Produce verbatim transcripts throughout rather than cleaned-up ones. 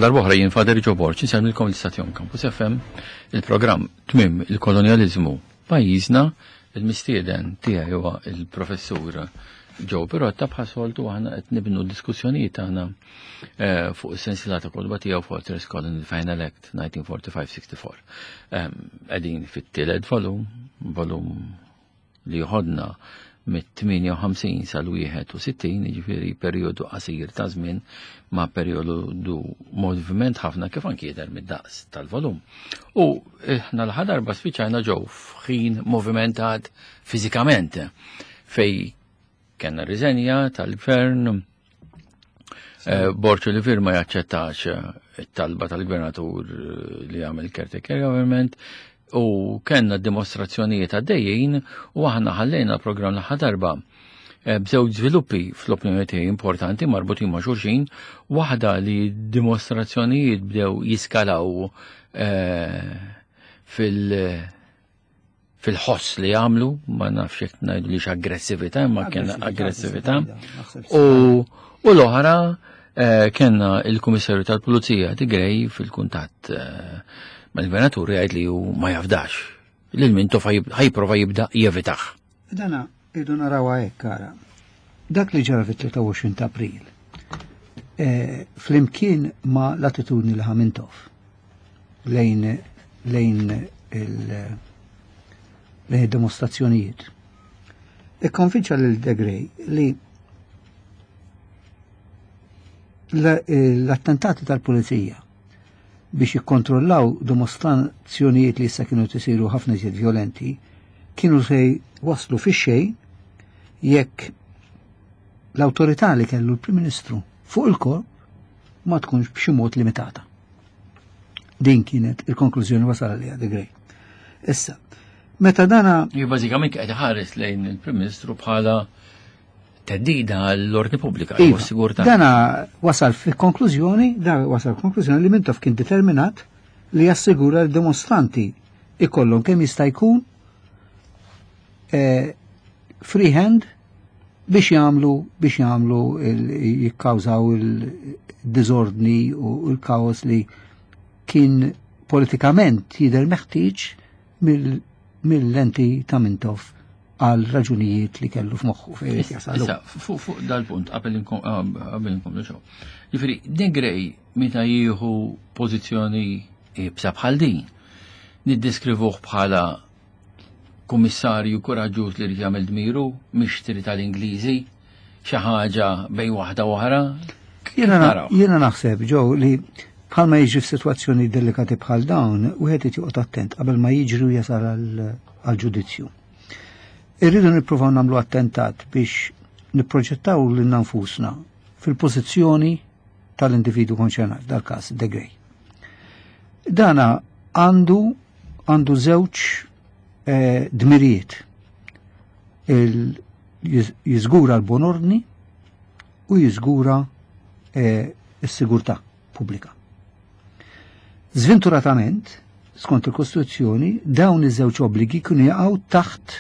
Għal darb'oħra jien Father Joe Borg, insellmilkom l-istazzjon Campus F M, il-programm Tmiem il-Kolonjaliżmu Pajjiżna, il-mistieden tiegħi huwa il-professur Joe Pirotta. Bħas-soltu aħna qed nibnu diskussjonijiet tagħna eh, fuq is-sensiela ta' kotba tiegħu Fortress Colony Final Act elf disa' mija u erbgħa u erbgħin sessja. Qegħdin fit-tielet volum, volum li ħodna mit-tmienja u ħamsin sal-wieħed u sittin, jiġifieri perjodu qasir ta' żmien ma' perjodu moviment ħafna, kif anki jidher mid-daqs tal-volum. U aħna l-aħħar darba spiċċajna ġew f'ħin movimentat fiżikament fej kellna riżenja tal-gvern, eh, Borg Olivier ma jaċċettax it-talba tal-gvernatur li għamel caretaker government u kellna dimostrazzjonijiet għaddejjin u aħna ħallejna l-programm l-aħħar darba eh, b'żewġ żviluppi fl-opinjoni tiegħi importanti marbutin ma' xulxin, waħda li dimostrazzjonijiet bdew jiskalaw eh, fil- fil-ħoss li għamlu, ma nafx jekk ngħidu li aggressività, ma kien aggressività. U, u l-oħra eh, kellna il-Kummissarju tal-Pulizija De Grey fil-kuntatt eh, mal-gvernatur jgħid li hu ma jafdax lil Mintoff, ħa jipprova jibda jevitah. Dana irridu narawha hekk, ara. Dak li ġara fit-tlieta u għoxrin ta' April, eh, flimkien ma l-attitudni li ħa Mintoff lejn lejn il- lejn id-dimostrazzjonijiet, ikkonvinċa lil De Grey li l-attentati tal-pulizija biex jikkontrollaw dimostrazzjonijiet li issa kienu tisiru ħafna iżjed violenti kienu se waslu fi xejn jekk l-autorità li kellu l-Prim Ministru fuq il-korp ma tkunx b'xi mod limitata. Din kienet il-konklużjoni wasal għaliha De Grey. Issa, meta dana Ju bażikament qed ħares lejn il-Prim Ministru bħala theddida għall-ordni pubblika, Iva, u s-sigurtà. Dana wasal fi konklużjoni, da wasal konklużjoni li Mintoff kien determinat li jassigura li dimostranti ikollhom kemm jista' jkun eh, free hand biex jagħmlu biex jagħmlu il- jikkawżaw il-diżordni u l-kaos li kien politikament jidher meħtieġ mill- mill-lenti ta' Mintoff għal raġunijiet li kellu f'moħħu fejn irid jasalu. Issa, fuq fuq dal-punt, qabel inkom- ah, qabel inkomplu xew. Jiġifieri, De Grey meta jieħu pożizzjoni iebsa bħal din, niddeskrivuh bħala kummissarju kuraġġuż li jrid jagħmel dmiru, mixtri tal-Ingliżi, xi ħaġa bejn waħda u oħra. Jiena Naraw. Jiena naħseb, Joe, li bħalma jiġri f'sitwazzjoni delikati bħal dawn, wieħed irid joqgħod attent qabel ma jiġri u jasal għal- għal ġudizzju. Irridu nippruvaw nagħmlu attentat biex nipproġettaw lil nfusna fil-pożizzjoni tal-individu konċernat, dal-każ De Grey. Dana għandu għandu żewġ eh, dmirijiet. Il- jiż- Jiżgura l-bon ordni u jiżgura eh, s-sigurtà pubblika. Zventuratament, skont il-Kostituzzjoni, dawn iż-żewġ obbligi kienu jaqgħu taħt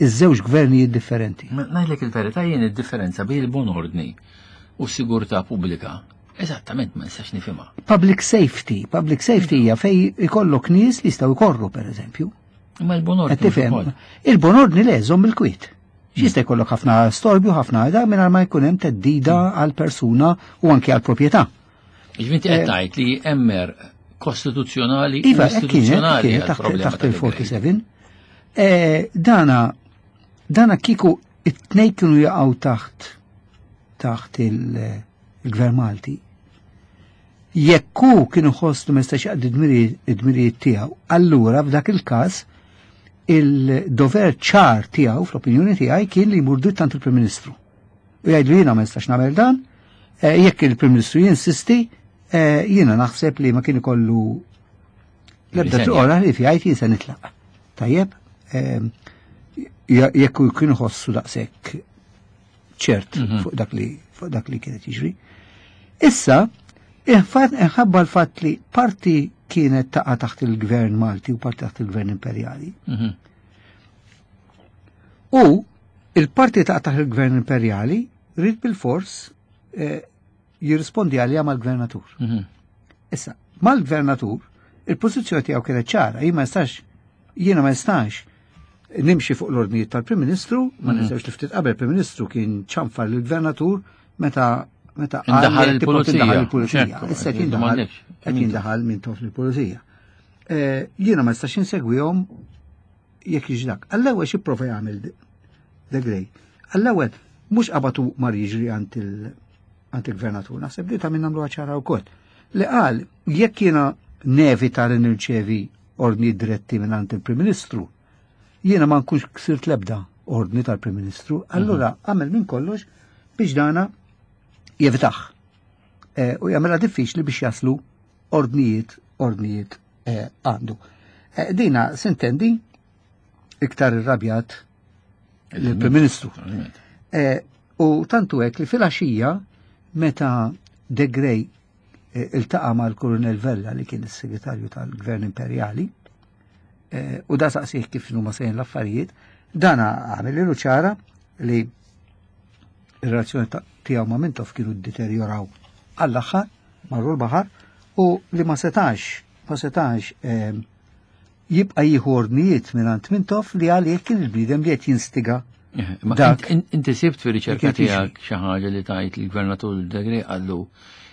iż-żewġ gvernijiet differenti. Ma ngħidlek il-verità, jien id-differenza bejn il-bon ordni u s-sigurtà pubblika eżattament ma nistax nifhimha. Public safety, public safety hija fej ikollok nies li jistgħu jkorru, per eżempju. Imma l-bon Qed ordni tifhem? ukoll. Il-bon ordni le, żomm il-kwiet. X'jista' jkollok ħafna storbju, ħafna da mingħajr ma jkun hemm theddida għal persuna u anke għal proprjetà. Jiġifieri inti qed tgħid li hemm kostituzzjonali u Iva, hekk kienet, istituzzjonali kienet taħt għall-problema taħt ta' De Grey. il-erbgħa u erbgħin. Eh, Dana, dana kiku it-tnej kienu jaqgħu taħt taħt il- il-Gvern Malti. Jekk hu kienu ħossu ma jistax jaqdi id-dmirijiet tiegħu, allura f'dak il-każ il-dover ċar tiegħu, fl-opinjoni tiegħi, kien li jmur dritt għand il-Prim Ministru. U jgħidlu: "Jiena ma nistax nagħmel dan, eh, jekk il-Prim Ministru jinsisti, eh, jiena naħseb li ma kien ikollu l-ebda Riżenja. triq oħra li jgħid jien se nitlaq." Tajjeb, eh, jekk hu kien ħossu daqshekk ċert Mhm. fuq dak li fuq dak li kienet jiġri. Issa, inħabba l-fatt li parti kienet taqa' taħt il-gvern Malti u parti taħt il-gvern imperjali. Mhm. U il-parti taqa' taħt il-gvern imperjali rrid bil-fors eh, jirrispondi għalija mal-gvernatur. Mhm. Issa, mal-gvernatur, il-pożizzjoni tiegħu kienet ċara, jien ma nistax, jiena ma nistax nimxi fuq l-ordnijiet tal-Prim Ministru, ma Mhm. ninsewx li ftit qabel il-Prim Ministru kien ċanfar lill-gvernatur meta meta Indaħal qal li tipo il-pulizija. tindaħal il-pulizija. Ċertu, Issa qed qed jindaħal m'għandekx. qed jindaħal Mintoff lill-pulizija. Eh, Jiena ma nistax insegwihom jekk jiġi dak. Għall-ewwel xi prova jagħmel De Grey. Għall-ewwel mhux qabatu mar jiġri għand il- għand il-gvernatur, naħseb li ta' minn nagħmluha ċara wkoll. Li qal jekk jiena nevita li nirċevi ordni diretti minn għand il-Prim Ministru, jiena ma nkunx ksirt lebda ordni tal-Prim Ministru, allura għamel minn kollox biex dana jevitaħ. Eh, U jagħmilha diffiċli biex jaslu ordnijiet, ordnijiet eh, għandu. Eh, Dina sintendi iktar irrabjat l-Prim Ministru. Naturalment. Eh, U tantu hekk li fil-għaxija meta De Grey eh, iltaqa' mal-Kurunell Vella li kien is-segretarju tal-Gvern Imperjali eh, u da saqsih kif huma sejn l-affarijiet, dana għamel ċara li ir-relazzjoni ta- tiegħu ma' Mintoff kienu ddeterjoraw għall-aħħar, marru l-baħar, u li ma setax, ma setax eh, jibqa' jieħu ordnijiet minn Mintoff li għalih kien il-bniedem li qed jinstiga Eh, Ma Dak. int- inti sibt fi riċerka Kien jiġri. tiegħek xi ħaġa li tajt il-gvernatur De Grey qallu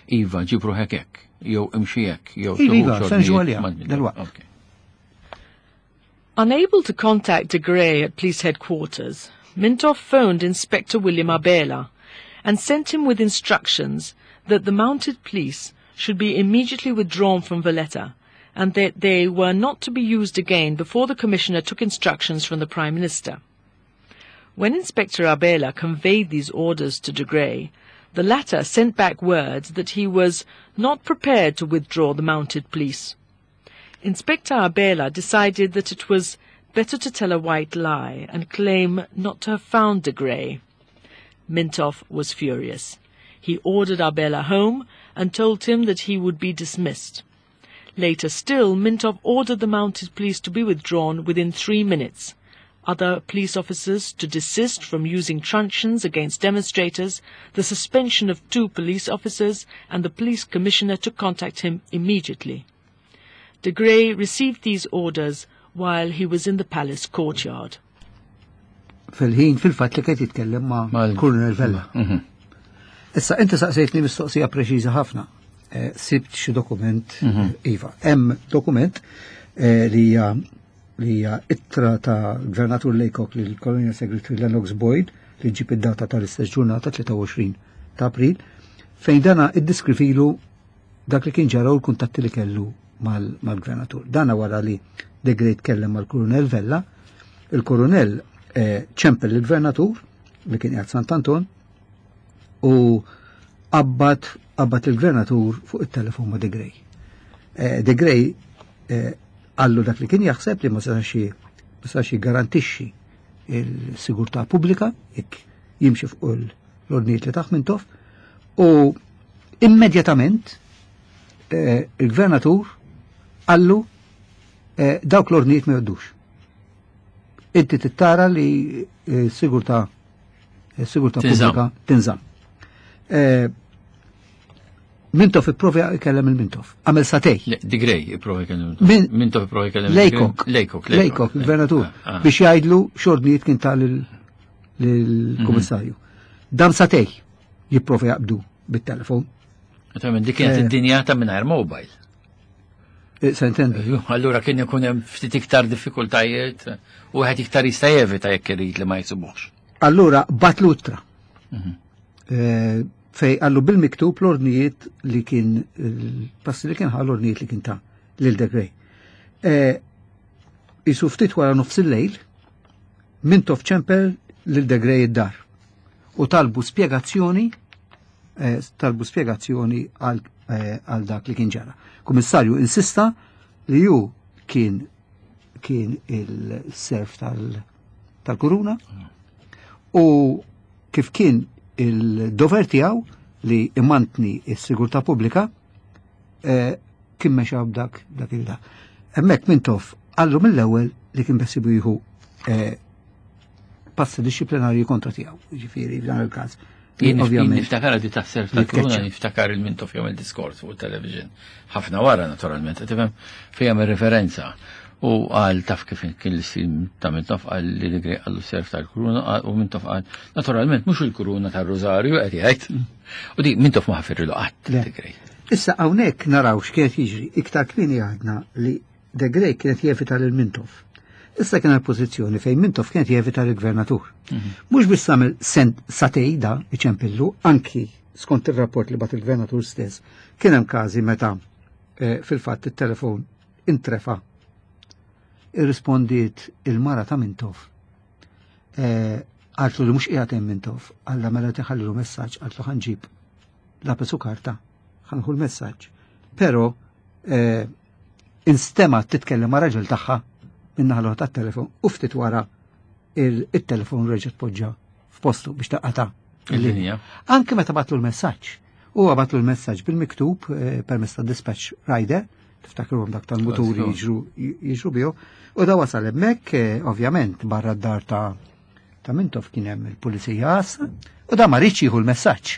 iva ġib ruħek hekk, jew imxi hekk, jew Iva, iva, tuħux se nġu ordnijiet għaliha, mal- dalwaqt. Ok. Unable to contact De Grey at police headquarters, Mintoff phoned Inspector William Abela and sent him with instructions that the mounted police should be immediately withdrawn from Valletta and that they were not to be used again before the commissioner took instructions from the Prime Minister. When Inspector Abela conveyed these orders to De Grey, the latter sent back word that he was not prepared to withdraw the mounted police. Inspector Abela decided that it was better to tell a white lie and claim not to have found De Grey. Mintoff was furious. He ordered Abela home and told him that he would be dismissed. Later still, Mintoff ordered the mounted police to be withdrawn within three minutes, other police officers to desist from using truncheons against demonstrators, the suspension of two police officers, and the police commissioner to contact him immediately. De Grey received these orders while he was in the palace courtyard. Fil-ħin fil-fatt li kien jitkellem ma' Mal- Colonel Vella. Mhm. Issa, inti saqsejtni mistoqsija preċiża ħafna. Eh, Sibt xi dokument, Iva. Hemm dokument eh, li hija li hija ittra ta' Gvernatur Laycock lil Colonial Secretary Lennox Boyd li ġib id-data tal-istess ġurnata tlieta u għoxrin ta' April, fejn dana iddeskrivilu dak li kien ġara u l-kuntatti li kellu mal- mal-gvernatur. Dana wara li De Grey tkellem mal-Kurunell Vella, il-Kurunell eh, ċempel il-gvernatur li kien qiegħed Sant'Anton u qabbat qabbat il-gvernatur fuq il-telefon ma' De Grey. Eh, De Grey eh, qallu dak li kien jaħseb li ma setax ma setax jiggarantixxi il-sigurtà pubblika jekk jimxi fuq l-ordnijiet li tah Mintoff u immedjatament eh, il-gvernatur qallu eh, dawk l-ordnijiet ma jgħoddux. Inti tittara li eh, sigurtà sigurtà Tinżamm. pubblika tinżamm. Eh, Mintoff ipprova jkellem il-Mintoff. Għamel sagħtejn. Le, De Grey ipprova jkellem. Min- Mintoff ipprova jkellem. Laycock. Laycock. Laycock, il-gvernatur. Ah, ah. Biex jgħidlu x'ordnijiet kien ta lill-kummissarju. Dam sagħtejn jipprova jaqbdu bit-telefon. Naturalment, dik kienet Eh. id-dinja ta' mingħajr mobile. Eh, Se intendi. Allura kien ikun hemm ftit iktar diffikultajiet u wieħed iktar jista' jevita jekk irid li ma jsibuhx. Allura bagħatlu ittra. Eh, Fej qallu bil-miktub l-ordnijiet li kien, il-passi li kien ħa l-ordnijiet li kien ta lil De Grey. Eh, Isu ftit wara nofs il-lejl, Mintoff ċempel lil De Grey id-dar u talbu spiegazzjoni eh, talbu spiegazzjoni għal eh, għal dak li kien ġara. Kummissarju insista li ju kien kien il-serf tal- tal-kuruna u kif kien il-dover tiegħu li imantni s-sigurtà pubblika eh, kien mexa b'dak dak il-dak. Hemmhekk Mintoff qallu mill-ewwel li kien beħsiebu jieħu eh, passi dixxiplinarji kontra tiegħu, ġifieri f'dan il-każ. Jien Ovvjament. niftakar di tas-serf tal-kuruna, niftakar il-Mintoff jagħmel diskors fuq il-television. Ħafna wara naturalment, tifhem fejn jagħmel referenza. U qal taf kif kien l-istil ta' Mintoff qal li De Grey qallu serf tal-kuruna u Mintoff qal naturalment mhux il-kuruna tar-Rożarju qed jgħid. U di Mintoff ma ħafirlu qatt Le. De Grey. Issa hawnhekk naraw x'kienet jiġri. Iktar kmieni għadna li De Grey kienet jevita lil Mintoff. Issa kien pożizzjoni fejn Mintoff kienet jevita lill-gvernatur. Mhux biss għamel sent satejda iċempillu, anki skont ir-rapport li bagħat il-gvernatur stess, kien hemm każi meta eh, fil-fatt it-telefon intrefa. Irrispondiet il-mara ta' Mintoff. Eh, Qaltlu li mhux qiegħed hemm Mintoff, alla mela tħallilu messaġġ, qaltlu ħa nġib lapis u karta, ħa nieħu l-messaġġ. Però eh, instema titkellem ma' raġel tagħha min-naħa tat-telefon u ftit wara il- il-telefon reġa' tpoġġa f'postu biex taqata' Il-linja. Anke meta bagħatlu l-messaġġ. Huwa bagħatlu l-messaġġ bil-miktub eh, permezz ta' dispatch rider, tiftakruhom dak tal-muturi jiġru jiġru bihom, u da wasal hemmhekk eh, ovvjament barra d-dar ta' ta' Mintoff kien hemm il-pulizija għassa, u da ma riedx jieħu l-messaġġ.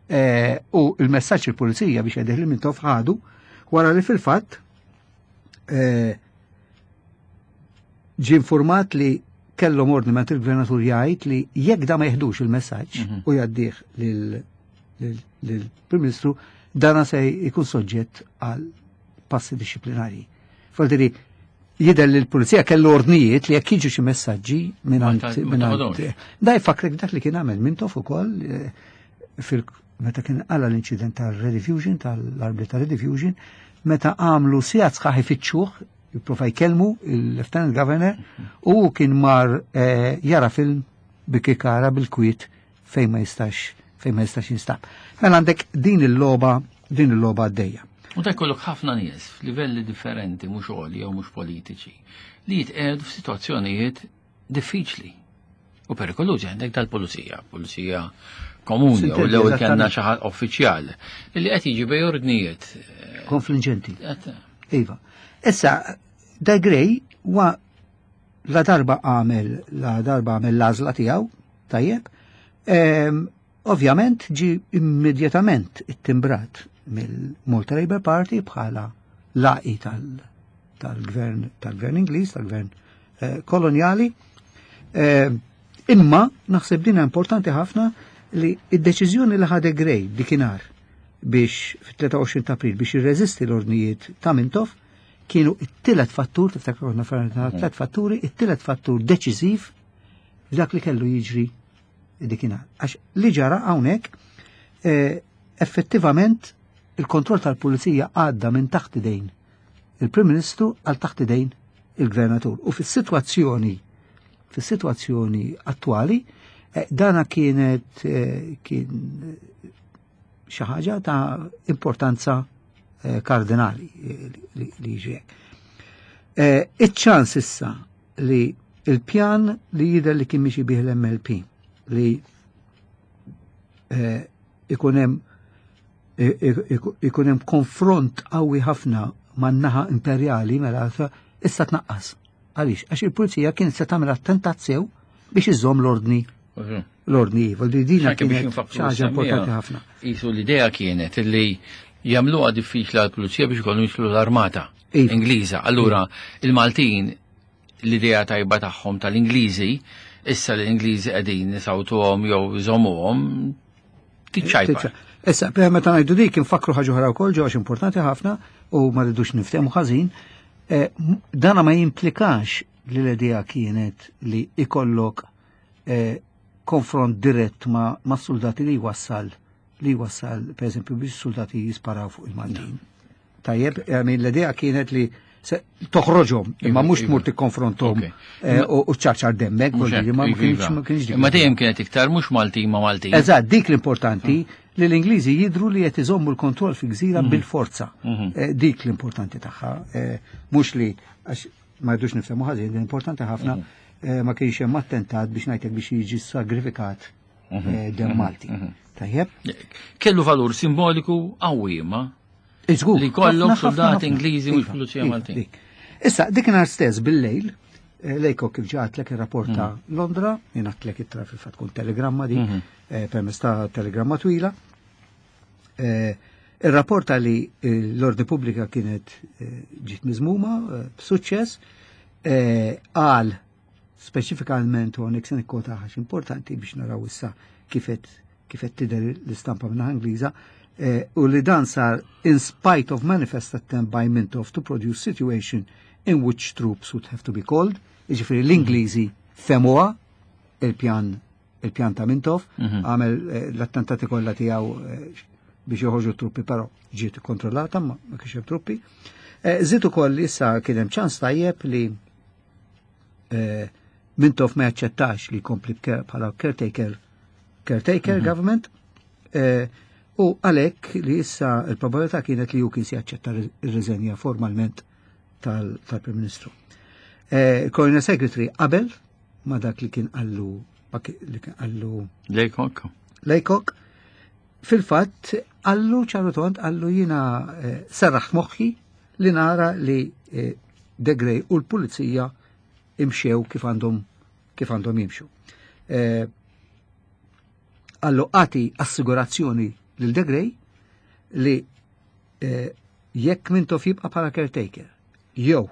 Eh, U il-messaġġ il-pulizija biex jgħidih li Mintoff ħadu wara li fil-fatt eh, ġie informat li kellhom ordni minn il-gvernatur jgħid li jekk da ma jeħdux il-messaġġ Mhm. u jgħaddih lill-Prim Ministru, dana se jkun soġġett għal passi dixxiplinari. Faldiri, jidher li l-pulizija kellu ordnijiet li jekk jiġu xi messaġġi minn Ma ta- ma taħodhomx. Da jfakrek dak li kien għamel Mintoff ukoll eh, fil meta kien għala l-inċident tal-Rediffusion, tal-arbli tal-Rediffusion, meta għamlu sigħat sħaħ ifittxuh, jipprova jkellmu il-Lieutenant Governor, u kien mar eh, jara film bikikara bil-kwiet fejn ma jistax fejn ma jistax jinstab. Mela għandek din il-logħba, din il-logħba għaddejja. U ta' jkollok ħafna nies f'livelli differenti, mhux għoli jew mhux politiċi, li jitqiegħdu f'sitwazzjonijiet diffiċli u perikolużi għandek dal-pulizija, pulizija komuni, u Sintendi, l-ewwel kellna eżattament. xi ħadd uffiċjal li qed jiġi bej ordnijiet. Konfliġenti. Qed- Iva. Issa, De Grey wa la darba għamel la darba għamel l-għażla tiegħu, tajjeb, em, ovvjament ġi immedjatament ittimbrat mill-Malta Labour Party bħala laqi tal- tal-gvern tal-gvern Ingliż, tal-gvern eh, koloniali. Eh, imma naħseb dina importanti ħafna li id-deċiżjoni li ħa De Grey dikinhar biex fit-tlieta u għoxrin ta' April biex jirreżisti l-ordnijiet ta' Mintoff kienu it-tielet fattur, tiftakru konna ferna tliet fatturi, it-tielet fattur deċiżiv f'dak li kellu jiġri dikinhar. Għax li ġara hawnhekk eh, effettivament il-kontroll tal-pulizija għadda minn taħt idejn il-Prim Ministru għal taħt idejn il-Gvernatur. U fis-sitwazzjoni fis-sitwazzjoni attwali eh, dana kienet eh, kien xi ħaġa ta' importanza eh, kardinali eh, li li jiġri hekk. Eh, Iċ-ċans issa li il-pjan li jidher li kien miexi bih l-M L P li eh, ikun hemm ikun hemm konfront qawwi ħafna man-naħa imperjali mela issa tnaqqas. Għaliex? Għax il-pulizija kienet se tagħmel attentat sew biex iżomm l-ordni l-ordni. Vuol dina Anke biex kienet infakkru xi ħaġa s-semmiegħa, importanti ħafna. Isu l-idea kienet li jagħmluha diffiċli għall-pulizija biex ikollhom jidħlu l-armata Iva. Ingliża. Allura il-Maltin l-idea tajba tagħhom tal-Ingliżi, issa l-Ingliżi qegħdin nisawtuhom jew jżommuhom tiċċajpa. Issa, per meta ngħidu dik infakru ħaġa oħra wkoll ġo għax importanti ħafna u ma rridux niftehmu ħażin, eh, m- dana ma jimplikax li l-idea kienet li ikollok eh, konfront dirett ma, ma soldati li jwassal li jwassal per eżempju biex soldati jisparaw fuq il-Maltin. Tajjeb, I mean, l-idea kienet li se toħroġhom, imma Iva, mhux iva. tmur tikkonfronthom Ok. eh, u u ċarċar demmek, Mhux vuol dire, hekk, ma iva, kienx iva. ma kienx dik. Imma dejjem kienet iktar mhux Maltin ma Maltin. Eżatt, dik l-importanti li l-Ingliżi jidru li qed iżommu l-kontroll fi gżira bil-forza. Mhm. Eh, Dik l-importanti tagħha, eh, mhux li għax ma jdux niftehmu ħażin, l-importanti ħafna eh, ma kienx hemm attentat biex ngħidlek biex jiġi sagrifikat eh, dem Malti. Tajjeb? Kellu valur simboliku qawwi imma Iżgur. Li kollok ħafna, ħafna, soldati ħafna. Ingliżi mhux Iva, pulizija iva, Maltin. dik. Issa, dik nhar stess bil-lejl, Laycock, kif ġatlek ir-rapport ta' mm. Londra, jingħatlek ittra, fil-fatt tkun telegramma di, mm -hmm. permezz ta' telegramma twila. Ir-rapporta li l-ordni pubblika kienet ġiet miżmuma b'suċċess, qal speċifikament, u hawnhekk se nikkota għax importanti biex naraw issa kifet kifet tidher l-istampa minn Ingliża, u li dan sar "in spite of manifest attempt by Mintoff to produce situation in which troops would have to be called". Jiġifieri l-Ingliżi fehmuha il-pjan il-pjan ta' Mintoff, mhm. għamel l-attentati kollha tiegħu biex joħorġu truppi, però ġiet kontrollata, ma ma kienx hemm truppi. Żied ukoll issa kien hemm ċans tajjeb li Mintoff ma jaċċettax li jkompli bħala caretaker caretaker mm -hmm. government, u għalhekk li issa il-probabilità kienet li hu kien se jaċċetta ir-riżenja formalment tal-Prim Ministru. Colonial Secretary qabel ma dak li kien qallu li kien qallu Laycock. Laycock. Fil-fatt qallu ċar u tond, qallu: "Jiena serraħ moħħi li nara li De Grey u l-pulizija imxew kif għandhom kif għandhom jimxu." Qallu: "Agħti assigurazzjoni lil De Grey li jekk Mintoff jibqa' bħala caretaker, jew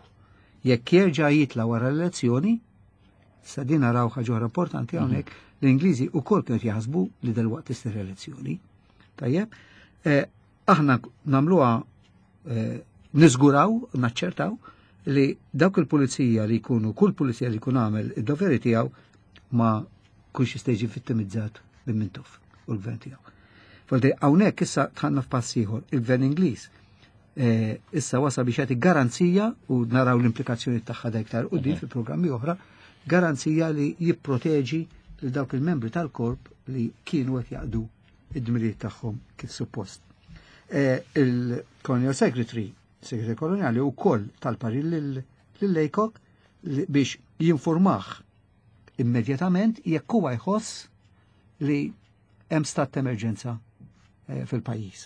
jekk jerġa' jitla wara l-elezzjoni", sa din naraw ħaġa importanti hawnhekk, l-Ingliżi wkoll kienu jaħsbu li dalwaqt issir elezzjoni. Tajjeb, aħna nagħmluha, niżguraw, naċċertaw li dawk il-pulizija li jkunu, kull pulizija li jkun għamel id-doveri tiegħu ma jkunx jista' jiġi vittimizzat minn Mintoff u l-gvern tiegħu. Foldi hawnhekk issa dħalna f'pass ieħor, il-gvern Ingliż issa wasa biex jagħti garanzija, u naraw l-implikazzjoni tagħha da iktar quddiem fi programmi oħra, garanzija li jipproteġi lil dawk il-membri tal-korp li kienu qed jaqdu id-dmirijiet tagħhom kif suppost. Il-Colonial Secretary, Segretarju Koloniali, ukoll tal-parir lil Laycock biex jinformah immedjatament jekk huwa jħoss li hemm stat ta' emerġenza fil-pajjiż.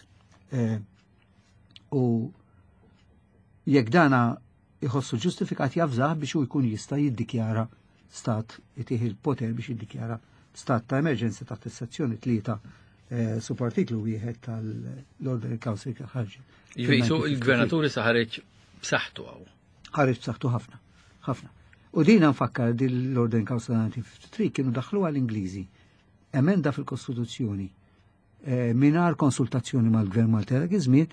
U jekk dana jħossu ġustifikat, javżah biex hu jkun jista' jiddikjara stat, itih il-poter biex jiddikjara stat ta' emerġenza taħt is-sezzjoni tlieta subartiklu wieħed tal-Order Council ħarġet. Jiġifieri il-gvernaturi sa ħareġ b'saħħtu hawn. Ħareġ b'saħħtu ħafna, ħafna. U dina nfakkar, din l-Order Council elf disa' mija u tlieta u ħamsin kienu daħlu għall-Ingliżi emenda fil-Kostituzzjoni mingħajr konsultazzjoni mal-Gvern Malti dak iż-żmien,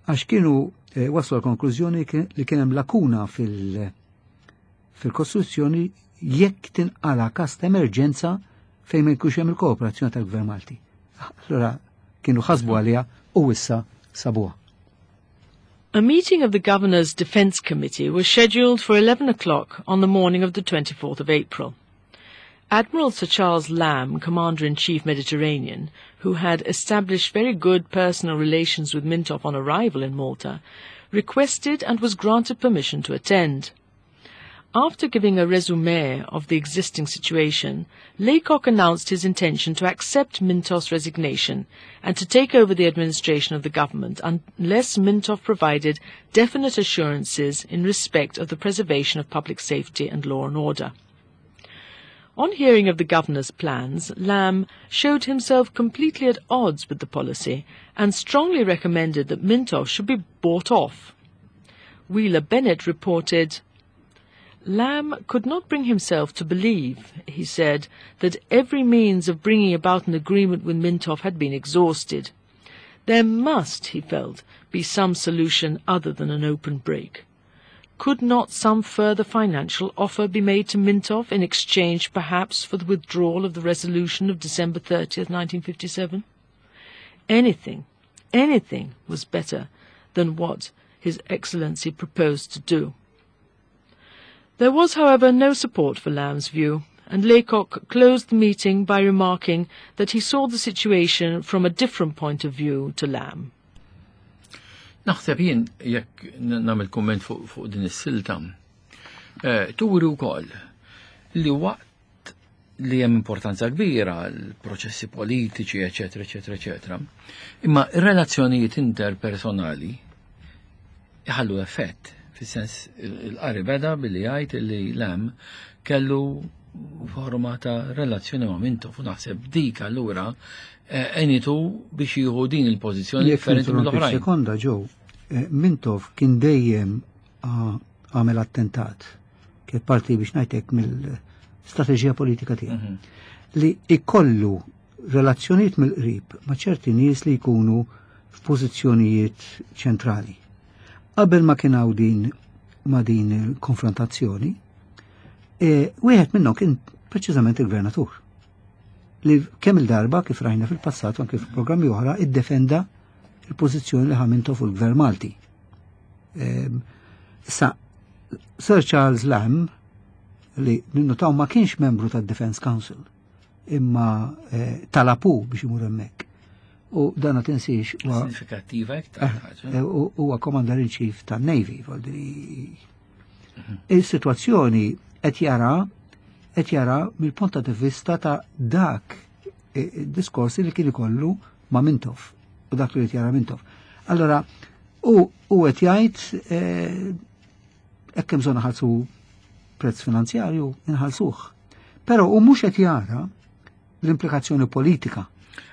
għax kienu waslu l-konklużjoni li kien hemm lakuna fil- fil-Kostituzzjoni jekk tinqala kas ta' emerġenza fejn ma jkunx hemm il-kooperazzjoni tal-Gvern Malti. Allora kienu ħasbu għaliha u issa sabuha. A meeting of the Governor's Defence Committee was scheduled for eleven o'clock on the morning of the twenty-fourth of April. Admiral Sir Charles Lamb, Commander-in-Chief Mediterranean, who had established very good personal relations with Mintoff on arrival in Malta, requested and was granted permission to attend. After giving a resume of the existing situation, Laycock announced his intention to accept Mintoff's resignation and to take over the administration of the government unless Mintoff provided definite assurances in respect of the preservation of public safety and law and order. On hearing of the governor's plans, Lamb showed himself completely at odds with the policy and strongly recommended that Mintoff should be bought off. Wheeler Bennett reported, "Lamb could not bring himself to believe, he said, that every means of bringing about an agreement with Mintoff had been exhausted. There must, he felt, be some solution other than an open break. Could not some further financial offer be made to Mintoff in exchange, perhaps, for the withdrawal of the resolution of December thirtieth, nineteen fifty-seven? Anything, anything was better than what His Excellency proposed to do." There was, however, no support for Lamb's view, and Laycock closed the meeting by remarking that he saw the situation from a different point of view to Lamb. Naħseb jien, jekk nagħmel kumment fuq fu din is-silta, eh, turi wkoll li waqt li hemm importanza kbira l-proċessi politiċi, eċetera, eċetera, eċetera, imma ir-relazzjonijiet interpersonali iħallu effett. Fis-sens il-qari beda billi jgħid li Lamb kellu forma ta' relazzjoni ma' Mintoff u naħseb dik allura għenitu biex jieħu din il-pożizzjoni differenti mill-oħrajn. Sekonda ġew, Mintoff kien dejjem għamel attentat, kien parti biex ngħidlek mill-strateġija politika tiegħu. Li ikollu relazzjonijiet mill-qrib ma' ċerti nies li jkunu f'pożizzjonijiet ċentrali. Qabel ma kien hawn din ma' din il-konfrontazzjoni, wieħed minnhom kien preċiżament il-gvernatur. Li kemm il-darba kif rajna fil-passat u anke fil-programmi oħra iddefenda il-pożizzjoni li ħa Mintoff fuq il-Gvern Malti. Issa, Sir Charles Lamb, li ninnotaw ma kienx membru tad-Defense Council, imma talapu biex imur hemmhekk. U dan ma tinsiex huwa sinifikattiva iktar ħaġa. Huwa Commander in Chief tan-Navy, il-sitwazzjoni qed jara qed jara mill-punt ta' vista ta' dak diskorsi li kien ikollu ma' Mintoff u dak li qed jara Mintoff. Allora, u qed jgħid hekk hemm bżonn ħalsu prezz finanzjarju, inħallsuh. Però u mhux qed jara l-implikazzjoni politika.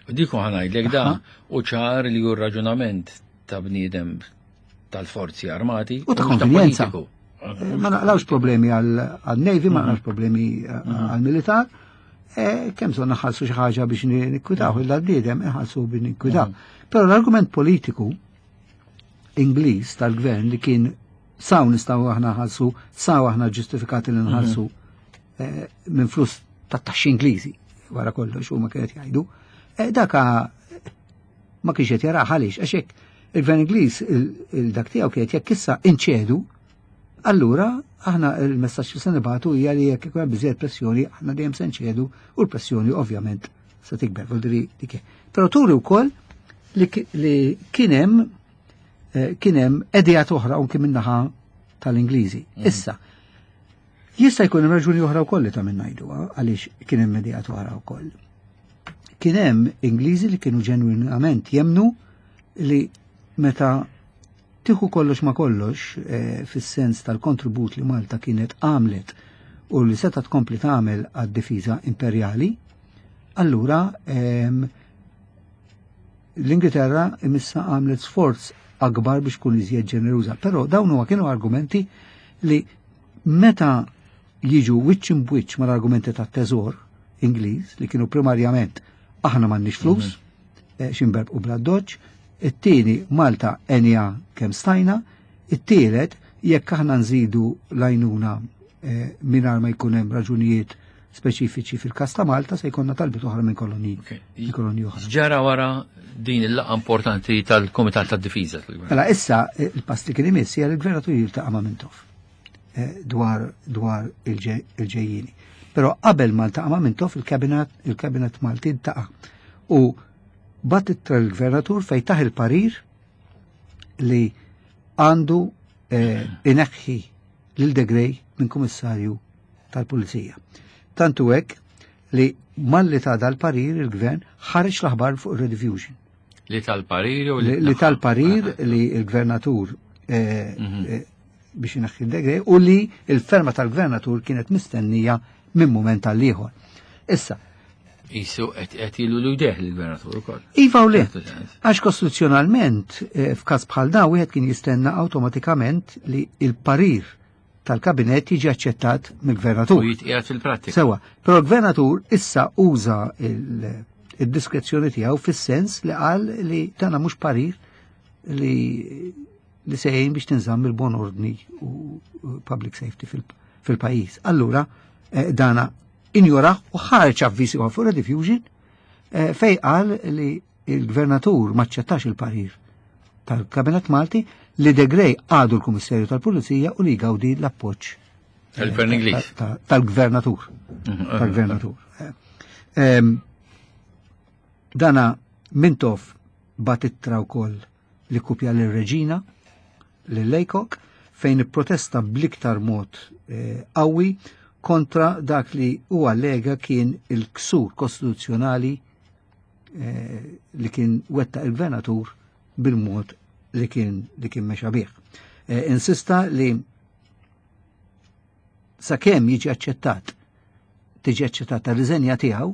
U dik ħa ngħidlek da u ċar li hu raġunament ta' bniedem tal-forzi armati u ta' konvenjenza. Ma naqlawx problemi għal-Navy, ma naqlawx problemi għal-militar, kemm bżonn naħallsu xi ħaġa biex nikkwitaw il-bniedem, inħallsu biex nikkwitaw. Però l-argument politiku Ingliż tal-gvern li kien saw nistgħu aħna ħalsu, saw aħna ġustifikati li nħallsu minn flus tat-taxxi Ingliżi, wara kollox huma kienet jgħidu, daka ma kienx qed jaraha għaliex, għax hekk il-gvern Ingliż il-dak tiegħu kienet jekk issa inċedu, allura aħna il-messaġġ li se nibagħtu hija li jekk ikun hemm biżejjed pressjoni aħna dejjem se nċedu u l-pressjoni ovvjament se tikber, vuol dik. Però turi wkoll li kien hemm kien hemm idejat oħra anke min-naħa tal-Ingliżi. Issa, jista' jkun hemm raġuni oħra wkoll li ta' minn ngħidu għaliex kien hemm idejat oħra wkoll. Kien hemm Ingliżi li kienu ġenwinament jemnu li meta tieħu kollox ma kollox fis-sens tal-kontribut li Malta kienet għamlet u li seta' tkompli tagħmel għad-difiża imperjali, allura l-Ingilterra imissa għamlet sforz akbar biex tkun iżjed ġeneruża. Però dawn huwa kienu argumenti li meta jiġu wiċċ imbwiċċ mal-argumenti tat-teżor Ingliż li kienu primarjament aħna m'għandniex flus, x'inberb u bla doċ, it-tieni Malta enja kemm stajna, it-tielet jekk aħna nżidu l-għajnuna mingħajr ma jkun hemm raġunijiet speċifiċi fil-każ ta' Malta se jkollna talbiet oħra minn kolonji. Kolonji oħra. Ġara wara din il-laqgħa importanti tal-Kumitat tad-Difiża. Mela issa il-pass li kien imiss hija li l-gvernatur jiltaqa' ma' Mintoff dwar dwar il-ġejjieni. Però qabel ma ltaqa' ma' Mintoff il-kabinet il-kabinet Malti ltaqa' u bat ittra l-gvernatur fejn taħ il-parir li għandu ineħħi lil De Grey minn kummissarju tal-Pulizija. Tantu hekk li malli ta' dal-parir il-gvern ħareġ l-aħbar fuq il-Rediffusion. Li tal-parir u li tal-parir li l-gvernatur biex ineħħi De Grey u li l-ferma tal-gvernatur kienet mistennija minn moment għal ieħor. Issa, Isu qed ilu l jdeh l-gvernatur ukoll. Iva u le, għax kostituzzjonalment f'każ bħal dan wieħed kien jistenna awtomatikament li il-parir tal-kabinet jiġi aċċettat mill-gvernatur. U jitqiegħed fil-prattika. Sewa, però l-gvernatur issa uża il-diskrezzjoni tiegħu fis-sens li qal li dana mhux parir li li se jgħin biex tinżamm il-bon ordni u public safety fil-pajjiż. Allura dana injora u ħareġ avviż ieħor fuq Rediffusion fej qal li il-gvernatur maċċettax il-parir tal-Kabinet Malti li De Grey għadu l-Kummissarju tal-Pulizija u li jgawdi l-appoġġ tal-Gvern Ingliż tal-Gvernatur. Tal-Gvernatur. Dana Mintoff bat ittra wkoll li kupja lir-Reġina lil Laycock fejn ipprotesta bl-iktar mod qawwi kontra dak li u allega kien il-ksur kostituzzjonali li kien wetta il-gvernatur bil-mod li kien li kien mexa bih. Eh, insista li sakemm jiġi aċċettat tiġi aċċettata riżenja tiegħu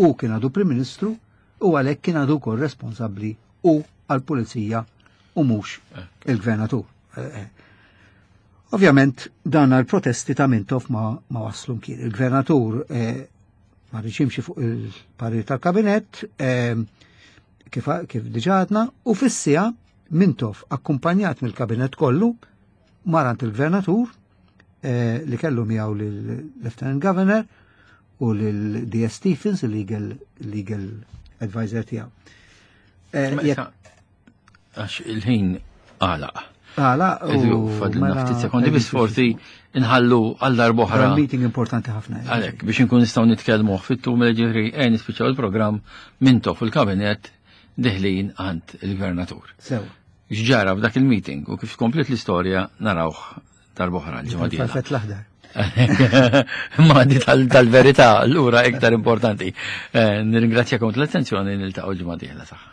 u kien għadu Prim Ministru u għalhekk kien għadu wkoll responsabbli u għall-pulizija u mhux il-gvernatur. Eh, eh. Ovvjament dan għal-protesti ta' Mintoff ma, ma waslu mkien. Il-gvernatur eh, ma riedx fuq il-parir tal-kabinet eh, kif, kif diġà għedna u fis-siegħa Mintoff akkumpanjat mill-kabinet kollu mar għand il-gvernatur eh, li kellu miegħu lill-Lieutenant Governor u lil D S. Stephens, il-legal legal advisor tiegħu. Eh, Ma jekk- issa, għax il-ħin għalaq. Għala, U fadlilna mela- ftit sekondi biss, forsi nħallu għal darb'oħra. Meeting importanti ħafna. Għalek, biex nkun nistgħu nitkellmu fit-tul mela ġifieri ejja nispiċċaw il-programm Mintoff fil-kabinet deħlin għand il-gvernatur. Sew. X'ġara f'dak il-meeting u kif komplet l-istorja narawh darb'oħra l-ġimgħa dieħla. Farfett l-aħdar. Ma di tal- tal-verità, allura iktar importanti. Eh, Nirringrazzjakom tal-attenzjoni, niltaqgħu l-ġimgħa dieħla saħħa.